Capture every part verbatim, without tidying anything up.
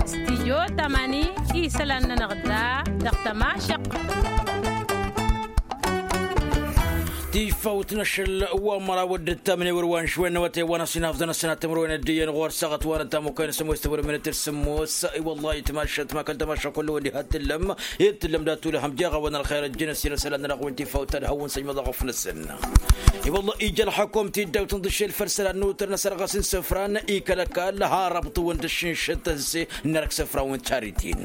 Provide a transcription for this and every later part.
Studyo tamani isălan-nănăɣ da dăɣ-tămašăq. Tifawt n-ašăl wa măraw d-ǝttamne wăr-wa n-išwen n-awătay wa n-asinaf d-anăsnat timǝrwen ăddiyăn ɣur-săɣăt wa n-ăttamukăyăn sămoos tăwăr minăt d-sămoos. I-wăllahi tamašat ma kăl-tamaša kullu-wăn diha t-tǝllăm i-tǝllăm dat-tulăhăm jeɣ-awăn ălxer ăjjăn ăssinăsălan-nănăɣ wi n-tifawt ad-hawăn-săjmăḍ ăɣăf-năsăn. I-wălla ija ălxăkom ti-dd-awtăn d-ašel făll-isălan n-utăr n-asărɣas n-isǝfran i-kăl-ăkall har ăbṭǝwăn d-ašǝnšăt tăzze n-erk isǝfran wi n-taritin.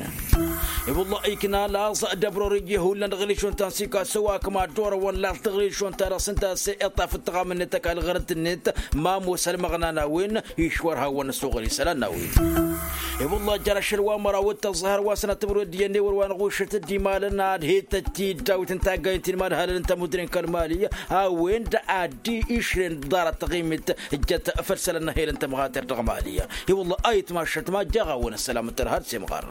I-wălla ikna laẓ d-abror iji hullan dăɣ-ilišon ta n-sikaso wa kăma dd-orăwăn laẓ dăɣ-ilišon ta dăɣ-s ǝnta a-s iṭṭaf d-tăɣamăn-net ăkall ɣărăt-net ma ămoos ălmăɣnan a-wen išwăr hawăn-ăssoɣăl isălan n-a-wen. I-wălla jar ašăl wa măraw d-tăẓẓa hărwa sănăt timǝrwen d-iyyăn ewăr wa n-ɣušăt d-imalăn ad-hetăt-dd dawit n-taggayǝn ti n-imadhalăn n-tamudre n-kăl-mali a-wen-dd ad-išren ḍarăt taɣimit ǝjjăt făll-isălan n-ahelăn tămɣater dăɣ-mali. I-wălla a itmašăt ma jaɣ-awăn ăssălam n-tărha d-semɣar.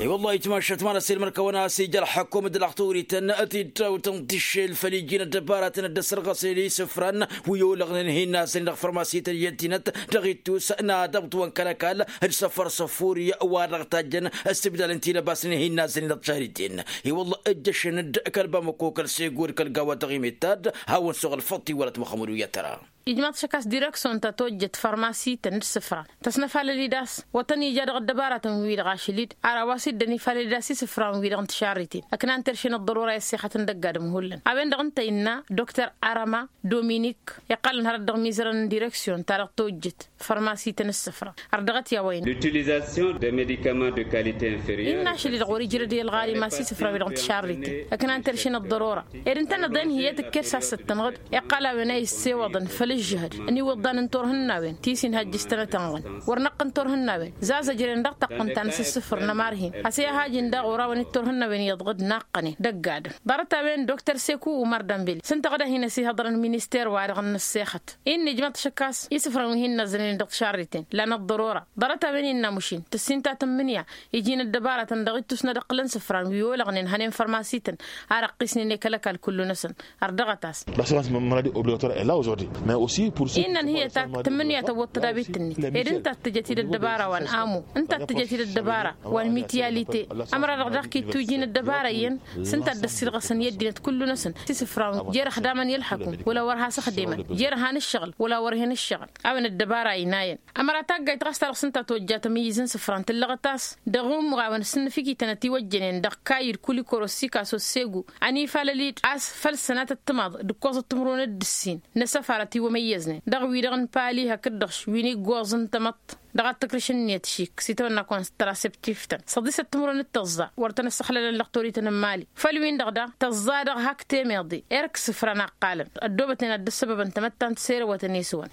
I-wălla a itmašăt ma n-ăsselmăr-kăwăn a-s ija ălxăkum d-ălxturităn ti dd-awtăn tiššel făll-iji n-ăddăbaratăn d-ăssărɣăsnen isǝfran wi olăɣnen hin-nazănen dăɣ-fărmasităn i-ăddinăt dăɣ-ittus n-ad-ăbḍǝwăn kăl-ăkall d-săfăr săfuri wa dăɣ-tajjăn ăssibdalăn tilăbasnen hin-nazănen dăɣ-tišariten. I-wălla ǝjjăšăn-dd kăl-bamăko kăl-sego d-kăl-gawa dăɣ-imettad hawăn-suɣ ălfăḍt iwălăt muxămmăd u-i ad-tăra. Ijmaḍ šăkas direksyon ta tojjăt fărmasităn d-isǝfran tăsnăfalăl-dd a-s wa tăn-ija dăɣ-ăddăbaratăn-wi-dăɣ ašăl-dd ar a-wa s-iddăn ifalăl-dd a-s isǝfran-wi-dăɣ n-tišarriten ăknan terše n-ăḍḍărora i-ăssexătăn dăgg-adǝm hullan a-wen-dăɣ ǝnta innă dr arama dominik iqqălăn hărăt dăɣ-imizărăn n-direksyon ta dăɣ-tojjăt fărmasităn d-isǝfran. Ărdăɣăt i-a-wa innă. L'utilisation des médicaments de qualité inférieure. Innă ašăl-dd ɣur-i ijrăd i-ălɣali ma s-isǝfran-wi-dăɣ n-tišarriten ǝknan terše n-ăḍḍărora ed ǝntăneḍ-en hi-e tǝkker s-ad-săttănɣăd iqqăl a-wen a issewăḍăn făll-ǝžžǝhăd n-iwǝḍḍan n-turhǝnnawen ti s-inhăjjǝs tănăt-ănɣăn wăr năqqăn turhǝnnawen zazăjren dăɣ-tăqqǝn ta n-asǝssǝfǝr n-ămarhin a-s i-ad-hajǝn daɣ orawăn-dd turhǝnnawen iyyăḍ ɣǝd naqqănen dăgg-adǝm. Ḍarăt-a-wen dokter seku umăr dănbel s-ǝnta ɣǝd a hin-ăsihăḍărăn minister-wa-dăɣ n-ăssexăt. Innă ijmăḍ šăkkas isǝfran wi hin-năzzănen dăɣ-tišarriten lan ăḍḍărora. Ḍarăt-a-wen innă mušin tǝssin ta tǝmmǝnǝya iji n-ăddăbaratăn dăɣ-ittus n-ad-ǝqqǝlăn isǝfran wi olăɣnen hănen fărmasităn ar ăqqisnen i-kăl-ăkall kullu-năsăn. Ărdăɣăt a-s. L'assurance maladie obligatoire est là aujourd'hui. Mais aussi pour ceux qui sont par exemple malades. Innă ănhǝyăt ak tǝmmǝnǝya tăwwăḍ tădabit-net ed ǝnta a t-tǝjăt-dd ăddăbara wa n-amu ǝnta a t-tǝjăt-dd ăddăbara wa n-mityalite. Ămăra-dăɣ daɣ k-dd-tuji n-ăddăbara iyyăn s-ǝnta a dd-ăssiilɣăsăn i-ăddinăt kullu-năsăn s-isǝfran jer-ăxdamăn i-ălxăkum wăla wăr has-ăxdemăn jer-ăhan ǝššăɣǝl wăla wăr hen ǝššăɣǝl. A-wen ăddăbara ăynayăn ămăra taggayt ɣas ta dăɣ-s ǝnta a tojja tămǝyyǝz n-isǝfran tǝllăɣăt a-s dăɣ-umɣawăn s-ǝnnǝfǝkităn ătiwăjjănen dăɣ-kayy d-kulikoro s-ikaso s-segu ănifalăl-dd a-s făll-sănatăt timaḍ d-ǝkkoẓăt timǝrwen d-ǝssin n-asăfar ătiwămăyyăznen dăɣ-wi-dăɣ n-pali hakd-dăɣ wi n-iggoẓ n-tamăḍt dăɣ-ad-tǝkrǝš ǝnniyăt šik s-itawănna kontraseptif-tăn săḍisăt timǝrwen d-tăẓẓa wăr tăn-ăssăxlălăn lăxtorităn n-mali. Făll-win-dăɣ daɣ tăẓẓa-dăɣ hak temeḍe erk isǝfran ăqqalăn ăddoobăten ad-dd-ăssăbăbăn tamăttant s-erăwătăn i-s-wăn.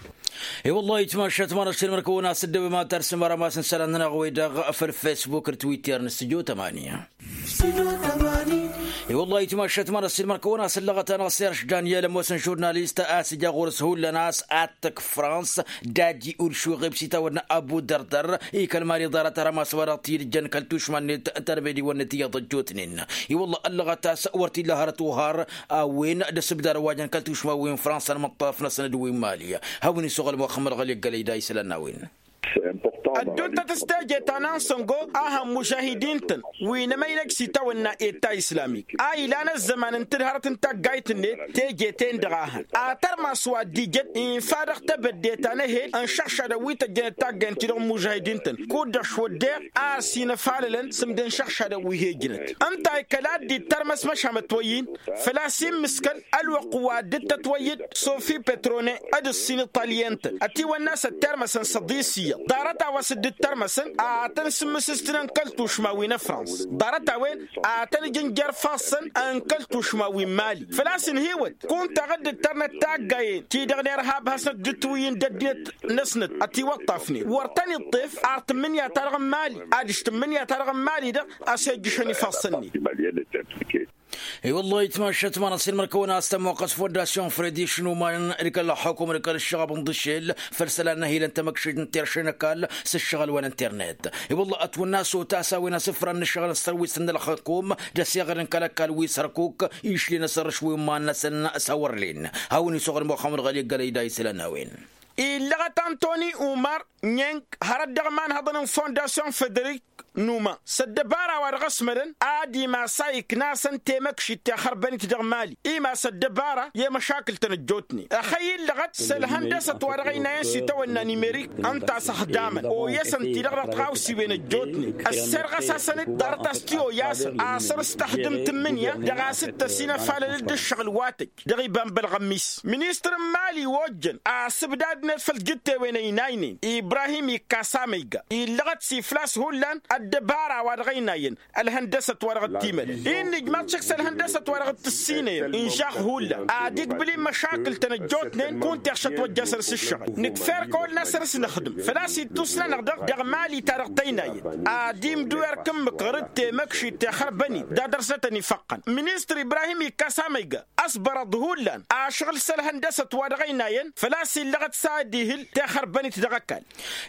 I-wăllah itmašat ma n-ăššăl măr-kăwăn a-s dd-ăwem ad-tarsǝm ara ma s-nǝsălan-nănăɣ-wi-dăɣ făll-fesbuk d-twitter n-studyo tămanya. I-wăllah itmašat ma n-ăššăl măr-kăwăn a-s ǝllăɣăt-anăɣ serž daniel ămoosăn žurnalist a-s ija ɣur-s hullan a-s ad-tǝkf frans dadi ulšuɣeb s-itawădna abu dărdăr. Ikăl mali ḍarăt ara ma s-wa dăɣ-t-dd-jăn kăl-tušma-net tărmediwăn-net iyyăḍ ăjjootnen. I-wăllah ăllăɣăt a-s wăr t-illa hărăt uɣar a-wen d-asǝbdar wa jăn kăl-tušma wi n-frans ălmăṭṭaf-năsăn d-wi n-mali. Hawăn-isuɣǝl muxămmăd ɣăli ăggălăy da isălan n-a-wen. Ădduntăt s-teje ta n-ansăngo a hăn mužahidin-tăn wi n-emăynăg s-itawănna eta islamik a ilan ăzzăman n-tǝdhărăt n-taggayt-net teje-ten-dăɣ a hăn ad-tărmas wa dd-ijăd infa dăɣ-tebădde ta n-ehel ănšăɣšadăn wi tăjjănăt taggayt-ti-dăɣ n-mužahidin-tăn kud-dăɣ šwăddeɣ a ăsinăfalălăn s-ǝmdăn šăɣšadăn wi he-ǝjnăt. Ǝnta a ikăl a dd-ittărmăs măšan mătwăyyin făl-a-s immǝskăl ălwăqq wa dd-tătwăyy-dd sofi petrone d-ǝssin iṭalyen-tăn ătiwănna a-s ăttermăsăn săḍis iyyăḍ ḍarăt a-wa s-dd-ǝttărmăsăn ad-tăn-sǝmmǝsǝstǝnăn kăl-tušma wi n-ăfrans. Ḍarăt a-wen ad-tăn-ǝjǝn jer-ifassăn n-kăl-tušma wi n-mali făl-a-s ǝnhǝywăt kunta dăɣ-dd-ǝttărnăt taggayen-ti-dăɣ n-irhab hasnăt dd-tǝwǝyyǝn d-ăddinăt-năsnăt ătiwăṭṭafnen wăr tăn-iṭṭef ar tǝmmǝnǝya-ta-dăɣ n-mali adiš tǝmmǝnǝya-ta-dăɣ n-mali-dăɣ a-s ejjǝšăn ifassăn-net. I-wăllah itmašat ma n-ăṣṣin măr-kăwăn a-s tămmoqqăs fondasyon fredi šnuman d-kăl-ălxukum d-kăl-ǝššăɣăb n-iḍǝšel făll-isălan n-ehilăn tamăkšit n-terše n-ăkall s-ǝššăɣǝl wa n-internet. I-wăllah ătwănna s-otas a-wen asǝfra n-ǝššăɣǝl n-sărwisăn n-ălxukum d-ăsiɣăr n-kăl-ăkall wi s-hărkuk išlen asărrǝš wi n-iman-năsăn s-awărlen. Hawăn-isuɣǝl muxămmăd ɣăli ăggălăy da isălan n-a-wen. illăɣăt antoni umar nyeng hărăt dăɣ-imanhăḍăn n-fondasyon federik numa s-ăddăbara wa dăɣ-ăsmădăn ad-imas a ikna-săn temăkšit tixărbănit dăɣ-mali imas ăddăbara i-măšakǝl-tăn ăjjootnen ăxăy illăɣăt s-ălhăndăsăt wa dăɣ-ăynayăn s-itawănna n-imerik ǝnta a-s ăxdamăn oyăsăn-ti-dăɣ dăɣ-tiɣawsiwen ăjjootnen ăsserɣăs-asăn-dd ḍarăt a-s t-oyasăn a săr-s tăxdǝmt n-imǝnya dăɣ-a-s dd-tăsinăfalăl-dd ǝššăɣǝl wa tăjj dăɣ-iba n-bălɣămmis. Ministăr n-mali ojjăn asǝbdad-net făll-tijǝttewen ăynaynen ibrahim ikkas amăyga illăɣăt s-iflas hullan ăddăbara wa dăɣ-ăynayăn ălhăndăsăt wa dăɣ-t-imălăn. Innă ijmaḍ šăkk s-ălhăndăsăt wa dăɣ-t-ǝssinăyăn inžax hullan ad-igbǝl-in măšakǝl-tăn ăjjootnen kunta iɣšăt wăjja săr-s ǝššăɣǝl nǝkf'-e-dăɣ kăwăl n-ad-săr-s nǝxdǝm făl-a-s ittus-nănăɣ-dăɣ dăɣ-mali-ta-dăɣ tăynayăn ad-imdǝw erk ǝmmǝk ɣur-dd temăkšit tixărbănit d-ad-dăr-s ad-tăn-ifăqqăn. Ministăr ibrahim ikkas amăyga ăsbărăḍ hullan ašăɣǝl s-ălhăndăsăt wa dăɣ-ăynayăn făl-a-s illăɣăt s-ad-ihǝl tixărbănit dăɣ-ăkall.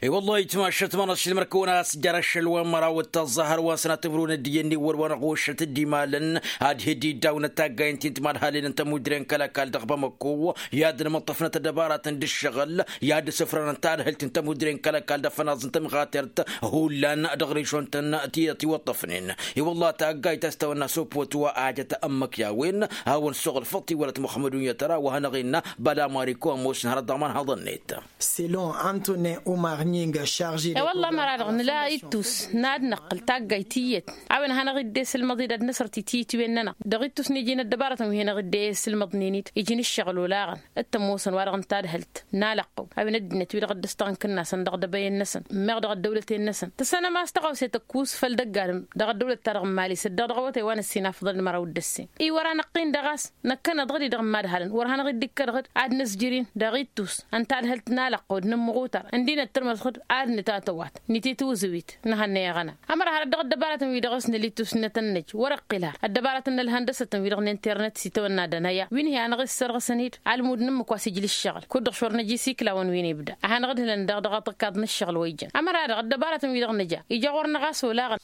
I-wăllah itmašăt ma n-ašăl măr-kăwăn-as jer-ašăl wa n-măraw d-taẓẓa hărwa n-sănat timrun d-iyyăn n-iwwăl wa n-ɣušăt d-imalăn ad-hi-dd-iddawna taggayăn ti n-timadhalen n-tămudre n-kăl-ăkall dăɣ-bamăkko i-ad-nǝmǝṭṭăfnăt ăddăbaratăn d-ǝššăɣǝl i-ad-dd-sǝfrănăt tadhǝlt n-tămudre n-kăl-ăkall d-afănaẓ n-tămɣatert hullan dăɣ-režon-tăn ti tiwăṭṭăfnen. I-wăllah taggayt a-s tawănna s-opot wa ajăt ămmăk i-a-wen hawăn-suɣǝl făṭṭ-i wălăt muxămmăd unyăt ăra wa hanăɣ-innă băla mariko ămoosăn hărăt dăɣ-imanhăḍăn-net. Selon antonin umar nying šarže e-wălla măra-dăɣ nǝla ittus n-ad-năqqǝl taggayt iyyăt a-wen hanăɣ-dd-esǝlmăḍ-dd ad-năsăr titiyǝtwen-nănăɣ dăɣ-ittus n-iji n-ăddăbarătăn wi hanăɣ-dd-esǝlmăḍnen-dd iji n-ǝššăɣǝl olaɣăn d-tămoosăn wa-dăɣ n-tadhǝlt n-alăqqăw a-wen ăddinăt wi-dăɣ dd-ăstăɣ n-kǝnnasăn dăɣ-idăbăyen-năsăn meɣ dăɣ-ăddăwlăten-năsăn tăsănăm a-s tăɣawse tăkkus făll-dăgg-adǝm dăɣ-ăddăwlăt-ta-dăɣ n-mali s-dd-dăɣ dăɣ-awătay wa n-ăssinafăḍăn d-măraw d-ăssin i-wăr-anăɣ-in-dăɣ a-s năkkăneḍ-dd-i-dăɣ n-imadhalăn wăr hanăɣ-dd-ikkădăɣ-dd ad-năzjăr-in dăɣ-ittus n-tadhǝlt n-alăqqăw d-inǝmmăɣutar ǝndinăt tărmăẓ-dd ad-nǝtatăwat nǝtitǝwzǝwit n-ehăn n-eɣăna. Ămăra har ăddăɣ ăddăbarătăn-wi-dăɣ s-năl ittus n-nătănnăj wăr-ăqqǝl har ăddăbarătăn n-ălhăndăsătăn-wi-dăɣ n-internet s-itawănna d-anăya wi n-hi-anăɣ-issărɣǝsăn-dd almud n-ǝmmǝk wa s-ijla ǝššăɣǝl kud-dăɣ šor năj isiklawăn wi n-ibda a hanăɣ-dd-hǝlăn daɣ dăɣ-aṭǝkkaḍ n-ǝššăɣǝl wa ijăn. Ămăra-dăɣ ăddăbarătăn-wi-dăɣ nǝja ija ɣur-năɣ a-s olaɣăn.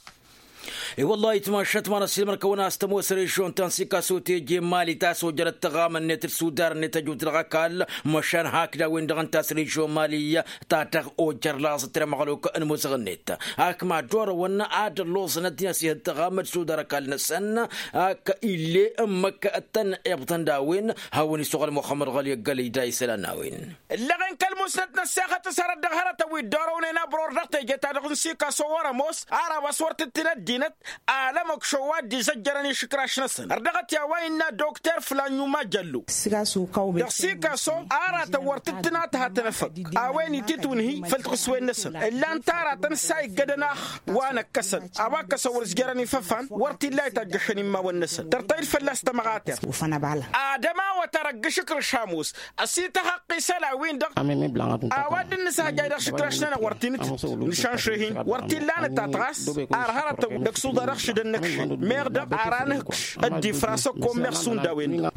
I-wăllah itmašăt ma n-ăssiilmăr-kăwăn a-s tămoos režon ta n-sikaso teje n-mali ta s-ojărăt tăɣamăn-net d-sudar-net ăjut dăɣ-ăkall măšan hakd a-wen-dăɣ ǝnta a-s režon mali ta dăɣ-ojăr laẓ ătrem ăɣluk n-imuzăɣ-net. Ak mad-orăwăn ad-ălloẓăn ăddin ăsihăd tăɣamăn d-sudar ăkall-năsăn ak ill'-e ǝmmǝk ăttăn-ibbăḍăn d-a-wen hawăn-isuɣăl muxămmăd ɣăli ăggălăy da isălan n-a-wen. Ǝllăɣen kăl-musnăt n-ăssexăt s-hărăt dăɣ-hărătăn wi dd-orăwnen abăr-or dăɣ-teje-ta-dăɣ n-sikaso wăr-ămoos ar a-wa s-wăr tǝttǝn ăddinăt alămăkšo wa dd-izăjjărăn išǝkraš-năsăn ărdăɣăt i-a-wa innă dokter flan yuma jăllo. Dăɣ-sikaso aratăn wăr tǝttǝn a tǝhatăn efăgg a-wen ititwǝnhǝy făll-tiɣǝswen-năsăn ǝllan-t aratăn s-a iggădăn ax wa năkkăsăn a-wa ǝkkăsăn wăr-ǝzjărăn ifăfan wăr t-illa a itajjăšăn immawăn-năsăn tărtăy-dd fălla-s tămɣatert. Ad-ămawăt arăgg išǝkrǝš ămoos ăsităhăqq isălan-win-dăɣ a-wa dd-nǝshăjjay dăɣ-išǝkraš-nănăɣ wăr t-inǝtǝt nǝšanšăh-in wăr t-illa a nǝtat ɣas ar hărătăn dăɣ-suḍa dăɣ-šǝdăn nǝkšǝn meɣ-dăɣ ar anǝhǝkš ăddifra s-ăkkoon meɣ šund a-wen-dăɣ.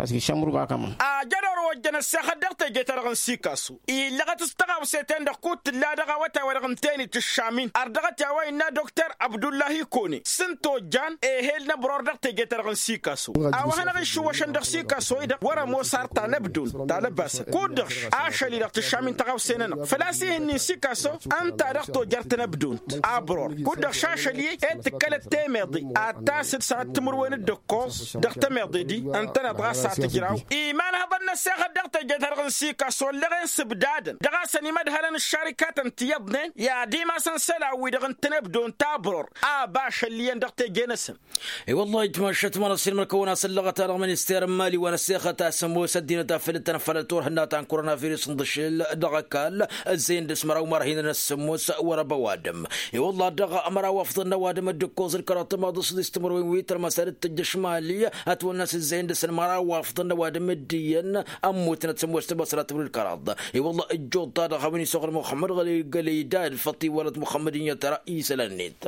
Ajăn orăwăjjăn ăssexăt dăɣ-teje-ta-dăɣ n-sikasu illăɣăt s-tăɣawse-ten-dăɣ kud tǝlla dăɣ-awătay-wa-dăɣ ǝnta-en itǝššam-in ărdăɣăt i-a-wa innă dokter abdullahi kone s-ǝnta ojjan ehel n-ăbror dăɣ-teje-ta-dăɣ n-sikasu a-wa hanăɣ-išǝwwăšăn dăɣ-sikaso-i-dăɣ wăr-ămoos ar tanăbdunt talăbasăt kud-dăɣ ašăl-i-dăɣ tǝššam-in tăɣawse-nănăɣ făl-a-s ih'-ǝnnin sikaso ǝnta-dăɣ tojăr tanăbdunt. Abăr-or kud-dăɣ šašăl-i-e tǝkkălăt temeḍe ad-tasǝd sănăt timǝrwen d-ǝkkoẓ dăɣ-temeḍe-di ǝntăneḍ ɣas a tǝjraw. Imanhăḍăn n-ăssexăt dăɣ-teje-ta-dăɣ n-sikaso ăllăɣen s-ǝbdadăn dăɣ-a-s ănimădhălăn ǝššarikatăn ti iyyăḍnen i-ad-imasăn isălan-wi-dăɣ n-tanăbdunt abăr-or a bašăl iyyăn dăɣ-teje-năsăn. I-wăllah ijmašăt ma n-ăssiilmăr-kăwăn a-s ăllăɣăt-a-dăɣ minister n-mali wa n-ăssexăt a-s ămoos ăddinăt a făl dd-tăn-ăffălăt turhǝnna ta n-koronavirus n-iḍǝšel dăɣ-ăkall ǝzzeyăn dăɣ-s măraw marhinăn ăssămmos wăr-ăba ăwadǝm. I-wăllah dăɣ-măraw afḍăn n-ăwadǝm d-ǝkkoẓ d-kăraḍ tămaḍ s-dd-s timǝrwen wi tărmăsad d-tǝjjăš mali ătwănna s-ǝzzeyăn dăɣ-săn măraw afḍăn n-ăwadǝm d-iyyăn ămmutnăt sămmos tăbăsrat wăr-dd-kăraḍ. I-wăllah ǝjjuḍ-ta-dăɣ a-wen isuɣǝl muxămmăd ɣăli gălăy dad făṭṭ-i wălăt muxămmăd inyăt tăra isălan-net.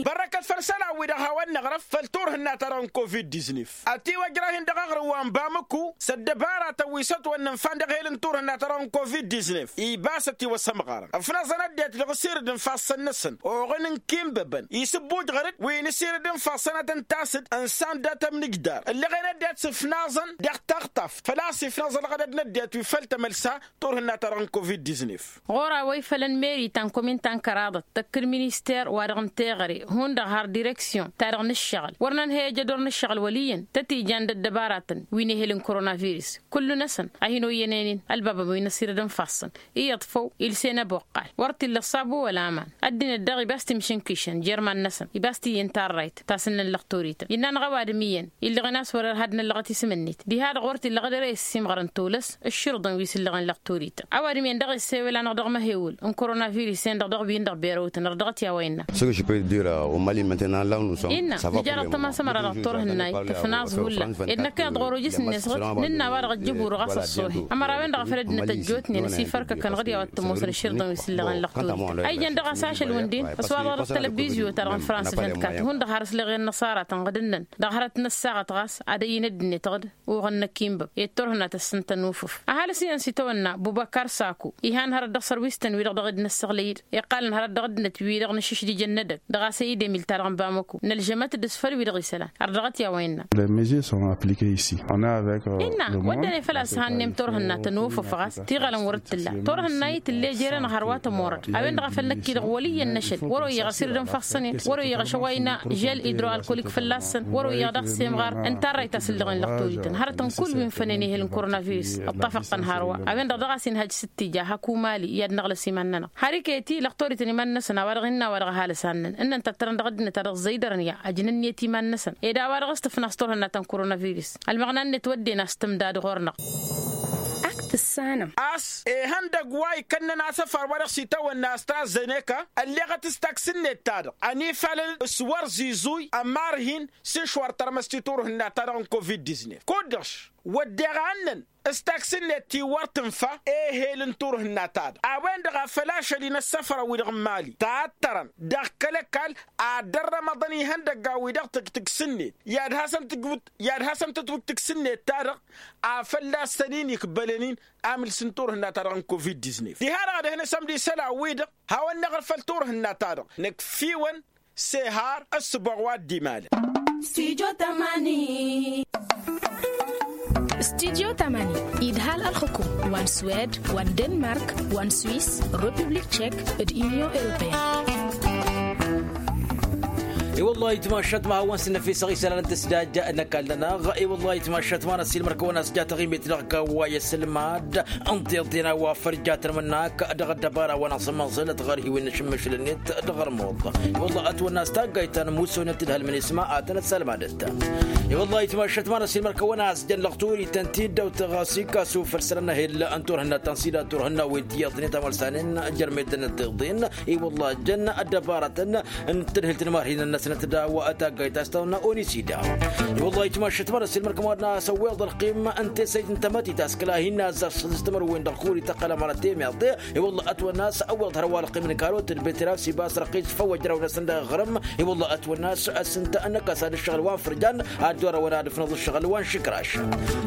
Bărrăkăt făll-isălan-wi-dăɣ hawăn-năɣrăf făll-turhǝnna-ta-dăɣ n-covid-diznef. Ătiwăjrăh-in dăɣ-aɣrǝw wa n-bamǝku s-ăddăbaratăn wi s-ătwănnăn fan dăɣ-ehel n-turhǝnna-ta-dăɣ n-covid-diznef ibas ătiwăsămɣarăn ǝfnaẓăn ăddinăt dăɣ-asirǝd n-ifassăn-năsăn oɣǝn n-ikinbăbăn isǝbbujɣăr-dd wi n-asirǝd n-ifassăn ad-tăn-tasǝd ǝnsan dat-ămnǝjdar ǝllăɣen ăddinăt s-ǝfnaẓăn dăɣ-taɣtaft făl-a-s ifnaẓ ălɣădăd n-ăddinăt wi făll-tamălsa turhǝnna-ta-dăɣ n-covid-diznef. Ɣur-a-wa ifălăn meri ta n-komin ta n-kăraḍăt tăkk-dd minister-wa-dăɣ n-teɣăre hundăɣ har direksyon-ta-dăɣ n-ǝššăɣǝl wăr nănhăy ejădor n-ǝššăɣǝl wăl' iyyăn tăt-ijan d-ăddăbaratăn wi n-ehel n-koronavirus. Kullu-năsăn a hin-oyyen enin ălbabăn wi n-asirăd n-ifassăn iyyăḍ făw ilsen ăboqqal wăr t-illa ăṣṣabu wăla aman. Ăddinăt daɣ ibas timšǝnkišăn jer-iman-năsăn ibas t-iyyăn tarrayt ta s-ǝnnăn lăqtorităn innă-năɣ ăwadǝm iyyăn illăɣen a-s wăr-ărhadnăllăɣăt isǝm-net diha-dăɣ wăr t-illăɣ ad-ere issǝmɣărăn tolăs ǝšširǝḍăn wi s-ǝllăɣen lăqtorităn. Ăwadǝm-en daɣ issewăl-anăɣ dăɣ-măhewǝl n-koronavirus-en-dăɣ dăɣ-wi n-dăɣ berăwtăn ărdăɣăt i-a-wa innă. Innă nǝjar ăṭṭăma s-ămăra dăɣ-turhǝnnayt tǝfnaẓ hullan ed năkkăneḍ ɣur-ojǝs-net ɣǝd nǝnn' a-wa-dăɣ ăjjǝbu-dăɣ a-s ăṣṣoohe ămărawen-dăɣ a făl ăddinăt ăjjootnen ăsifărkăkăn ɣǝd i-a-wa t-tămoosăn ǝšširǝḍăn wi s-ǝllăɣen lăqtorităn a ijăn dăɣ-asašăl wǝnden ăswaḍăɣ dăɣ-tălăbizyo-ta-dăɣ n-frans vint-kat hundăɣ har ǝslăɣen n-ăṣaratăn ɣǝd-năn dăɣ-hărăt n-ăssaɣăt ɣas ad-ăyy n-ăddinăt ɣǝd. Uɣǝn năkk inbăb i-dd turhǝnna tăssǝntăn ufǝf ăhalǝs iyyăn s-itawănna bubăkar saku ihan hărăt dăɣ-sărwistăn-wi-dăɣ dăɣ-dd-năssăɣlăy-dd iqqalăn hărăt dăɣ-ăddinăt wi-dăɣ nǝšǝšdijăn n-edăgg dăɣ-a-s ăyy d-emil-ta-dăɣ n-bamăku nălžămăt-dd s-făll-wi-dăɣ isălan har dăɣ-t i-a-wa innă. Innă wădden i-făl a-s hannăyăm turhǝnna tănufǝf ɣas tiɣălăn wăr-dd tǝlla turhǝnna-i tǝlle jere-năɣ hărwa tămorăd a-wen-dăɣ a făl năkk-i-dăɣ wăl' iyyăn n-ašăl wăr-oyyăɣ asirǝd n-ifassăn-en wăr-oyyăɣ ašăway n-žel idro-alkolik fălla-săn wăr-oyyăɣ dăɣ-semɣar n-tarrayt a-s ǝllăɣen lăqtorităn hărătăn kull wi n-fănen ehel n-koronavirus. Ǝṭṭafăɣ-tăn hărwa a-wen-dăɣ dăɣ-a-s inhăj s-ǝttǝja hak umali i-ad-năɣlăs iman-nănăɣ har iket-i lăqtorităn iman-năsăn a-wa-dăɣ innă a-wa-dăɣ ăhalǝs hannăn ǝnnăn tăttărăn dăɣ-ăddinăt a dăɣ-ẓăydărăn i-ajnăn-net iman-năsăn ed a-wa-dăɣ s-tǝfnaẓ turhǝnna ta n-koronavirus. Ălmăɣna-net wădden a-s tǝmdad ɣur-năɣ. Ak-tǝssanăm a-s ihăndăgg wa ikănnăn asăfar wa dăɣ-s itawănna astrazeneka ălleɣăt s-taksǝnnet-ta-dăɣ ănifalăl s-wăr zizuy ămarhin s-išwar tărmăst i-turhǝnna-ta-dăɣ n-covid-diznef kud-dăɣ-š wădden ɣannăn s-taksǝnnet ti wăr tǝnfa ehel n-turhǝnna-ta-dăɣ a-wen-dăɣ a făl ašăl-i n-ăssăfrăn-wi-dăɣ n-imali tattărăn dăɣ-kăl-ăkall ad-dd-ărrămăḍăn ihăndăggan-wi-dăɣ tǝg-tǝksǝnnet i-ad-hasăn-tǝtwǝj tǝksǝnnet-ta-dăɣ a fălla-săn-in ikbălăn-in amǝls n-turhǝnna-ta-dăɣ n-covid-diznef diha-dăɣ ad-ăhnăsăm d-isălan-wi-dăɣ hawăn-năɣrǝf făll-turhǝnna-ta-dăɣ năkk fiwăn s-ehar ăssǝboɣ wa dd-imalăn. Studyo tamani idhal ălxǝkum wa n-swed wa n-denmark wa n-swis, republik tchek d-unyon europeyăn. I-wăllah itmašat ma hawăn-s n-năfisăɣ isălan n-tǝsdajja n-ăkall-nănăɣ. I-wăllah itmašat ma n-ăssiilmăr-kăwăn-as ja taɣimit dăɣ-kăwway ăssilmad ǝnḍeḍen a-wa făl jatăn mǝnnak dăɣ-ăddăbara wa n-asǝmmăẓǝlăt ɣărhiwen n-ašǝmmǝšǝl-net dăɣ-ărmuḍ. I-wăllah ătwănna a-s taggayt ta n-ămmusoynăt d-hălmăn isma ad-tăn-ăssalmadăt. I-wăllah itmašat ma n-ăssiilmăr-kăwăn-as jăn lăɣturităn ti dd-ăwtăɣ a-s ikka s-ufăl săr-ănnăhel n-turhǝnna ta n-sida turhǝnna wi n-tiyyăḍnen ta mălsanen jărmedăn ăddiḍen. I-wăllah jăn ăddăbarătăn n-tadhǝlt n-imarhinăn-năsnăt d-a-wa taggayt ta s-tawănna onisida. I-wăllah itmašat ma n-ăssiilmăr-kăwăn-as ăwweḍ ălqim n-tesăyt n-tamătit a-s kăla hin-nazzăr s-săḍis timărwen dăɣ-kuri tăqqălăm ɣărăt temiḍe. I-wăllah ătwănna a-s ăwweḍ hărwa ălqim n-karot d-beterav s-ibas răqis făw ăjraw-năsăn dăɣ-aɣrǝm. I-wăllah ătwănna a-s ǝsǝnta ănnăkas ad-ǝššăɣǝl wa n-fărjan ad-dd-orăwăn ad-ǝfnăḍ ǝššăɣǝl wa n-išǝkraš.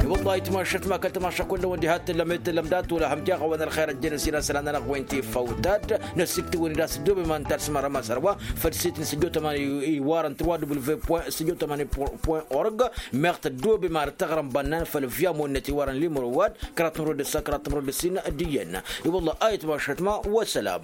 I-wăllah itmašat ma kăl-tămaša kull-năwăn diha t-tǝllăm i-tǝllăm dat-wăla hăm jaɣ-awăn ălxer ăjjeen ǝssin asălan-nănăɣ wen tiffăw tad. Năsiktǝwăn-dd a-s ăddoobe ma n-tars mărăm asărwa făll-sit n-sǝjjo tămani iwarăn trois w point sǝjjo tămani point org. Meɣ tăddoobe ma d-tăɣrăm bănnan făll-via monnăt iwarăn limro wa-dd kărat n-rodăsa kărat n-rodăsin. D-iyyăn. I-wăllah a itmašat ma wa sălam.